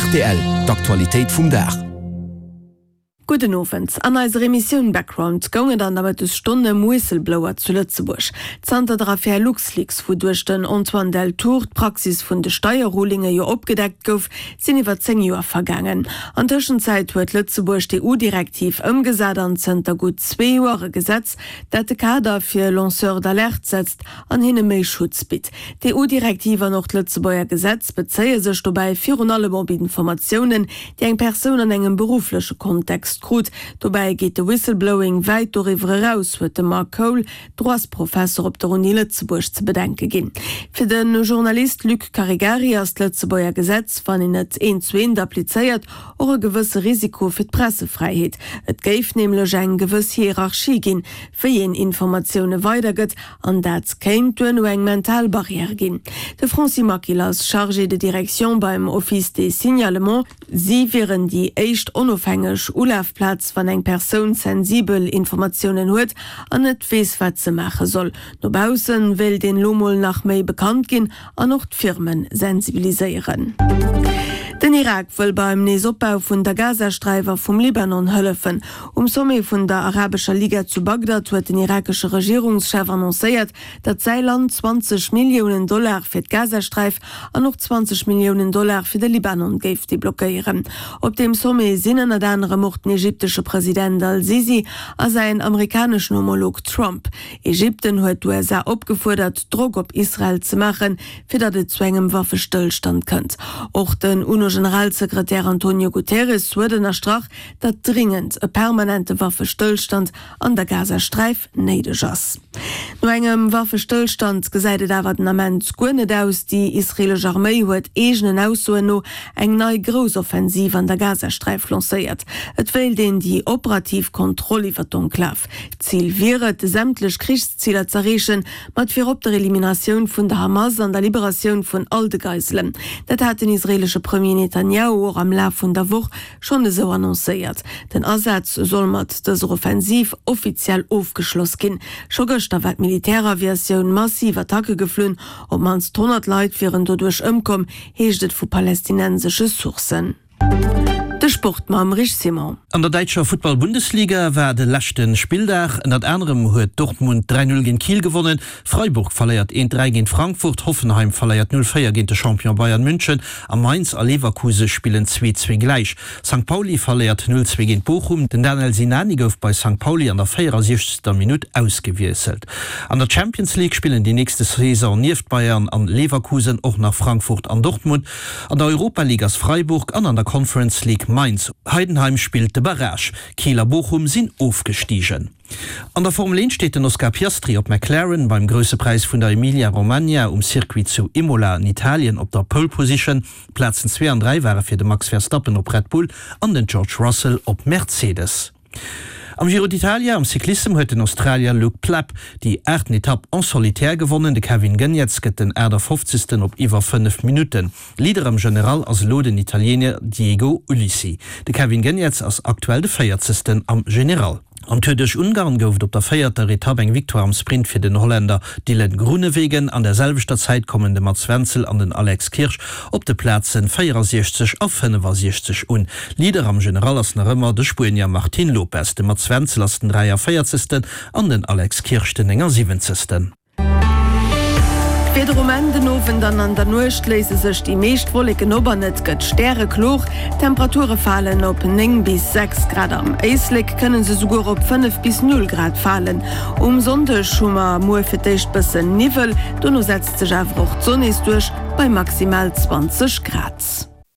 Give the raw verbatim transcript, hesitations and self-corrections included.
Rtl, D'Aktualitéit vum Dag. Gudden Owend. An eiser Emissioun Background goung et an der Mëttesstonn ëm Whistleblower zu Lëtzebuerg. Zanter der Affär LuxLeaks, wouduerch den Antoine Deltour d'Praxis vun de Steierrulinge jo opgedeckt gouf, sinn iwwer zéng Joer vergaangen. An Tëschenzäit huet Lëtzebuerg d'EU-Direktiv ëmgesat an zënter gutt zwee Joer e Gesetz, dat de Kader fir Lanceurs d'alerte setzt an hinne méi Schutz bitt. D'EU-Direktiv an och d'Lëtzebuerger Gesetz bezéie sech dobäi virun allem op Informatiounen, déi eng Persoun an engem beruffleche Kontext krut. Dobäi geet de Whistleblowing wäit doriwwer eraus, huet de Marc Cole, Droitsprofesser op der Uni Lëtzebuerg, ze bedenke ginn. Fir de Journalist Luc Caregari ass d'Lëtzebuerger Gesetz, wann een et eent zu eent applizéiert, och e gewësse Risiko fir d'Pressefräiheet. Et géif nämlech eng gewëss Hierarchie ginn, wéi een Informatioune weidergëtt, an dat kéint duerno eng mental Barrière ginn. De Francis Maquil ass Chargé de direction beim Office des signalements. Si wieren déi éischt onofhängeg Ulafplaz, wann eng Persoun sensibel Informatiounen huet an net weess, wat se maache soll. No bausse wéilt een elo mol nach méi bekannt ginn an och d'Firme sensibiliséieren. Den Irak wëll beim Neesopbau vun der Gazasträif a vum Libanon hëllefen. Um Sommet vun der Arabescher Liga zu Bagdad huet den irakesche Regierungschef annoncéiert, datt säi Land zwanzeg Milliounen Dollar fir d'Gazasträif an och zwanzeg Milliounen Dollar fir de Libanon géif deblockéieren. Op deem Sommet sinn ënnert anerem och den ägyptesche President al-Sisi a säin amerikaneschen Homolog Trump. Ägypten huet d'USA opgefuerdert, Drock op Israel ze maachen, fir datt et zu engem Waffestëllstand kënnt. Och den UNO-Generalsekretär Antonio Guterres huet ënnerstrach, datt dringend e permanente Waffestëllstand an der Gazasträif néideg ass. No engem Waffestëllstand gesäit et awer den Ament guer net aus. Déi israeelesch Arméi huet eegenen Aussoen no eng nei grouss Offensiv an der Gazasträif lancéiert. Et wéilt een déi operativ Kontroll iwwer d'Enklav. D'Zil wier et, sämtlech Krichsziler z'erreechen, mat virop der Eliminatioun vun der Hamas an der Liberatioun vun all de Geiselen. Dat hat den israeelesche Premier Netanjahu och am Laf vun der Woch schonn esou annoncéiert. Den Asaz soll mat dëser Offensiv offiziell ofgeschloss ginn. Scho gëschter war d'Militäraviatioun massiv Attacke geflunn. Op d'mannst honnert Leit wieren doduerch ëmkomm, heescht et vu palästinensesche Sourcen. De Sport mam Rich Simon. An der däitscher Futtball-Bundesliga war de leschte Spilldag. Ënnert anerem huet Dortmund dräi Null géint Kiel gewonnen, Freiburg verléiert eent dräi géint Frankfurt, Hoffenheim verléiert null véier géint de Champion Bayern München a Mainz a Leverkuse spillen zwee zwee gläich. Sankt Pauli verléiert null zwee géint Bochum. Den Danel Sinani gouf bei Sankt Pauli an der véierasiechzegster Minutt ausgewiesselt. An der Champions League spillen déi nächste Saison nieft Bayern an Leverkusen och nach Frankfurt an Dortmund. An der Europa League ass Freiburg an an der Conference League Mainz. Heidenheim spillt de Barrage. Kiel a Bochum sinn ofgestigen. An der Formel eent steet den Oscar Piastri op McLaren beim Grousse Präis vun der Emilia-Romagna um Circuit zu Imola an Italien op der Pole Position. D'Plazen zwee an dräi ware fir de Max Verstappen op Red Bull an den George Russell op Mercedes. Am Giro d'Italia am Cyclissem huet den Australier Luke Plapp déi aachten Etapp en solitaire gewonnen. De Kevin Geniets gëtt den aachtafofzegsten op iwwer fënnef Minutten. Leader am General ass elo den Italiener Diego Ulissi. De Kevin Geniets ass aktuell de véierzegsten am General. Am Tour duerch Ungarn gouf et op der véierter Etapp eng Victoire am Sprint fir den Holländer Dylan Groenewegen. An der selwechter Zäit kommen de Mats Wenzel an den Alex Kirsch op de Plaze véierasiechzeg a fënnefasiechzeg un. Leader am General ass nach ëmmer de Spuenier Martin Lopez. De Mats Wenzel ass den dräiavéierzegsten an den Alex Kirsch den néngasiwwenzegsten. D'Wieder um Enn, Den Owend an an der Nuecht léise sech déi meescht Wolleken op an et gëtt stärekloer. D'Temperature falen op néng bis sechs Grad, am Éislek kënne se souguer op fënnef bis null Grad falen. Um Sonndeg hu mer muer fir d'éischt bëssen Niwwel, dono setzt sech awer och d'Sonn nees duerch bei maximal zwanzeg Grad.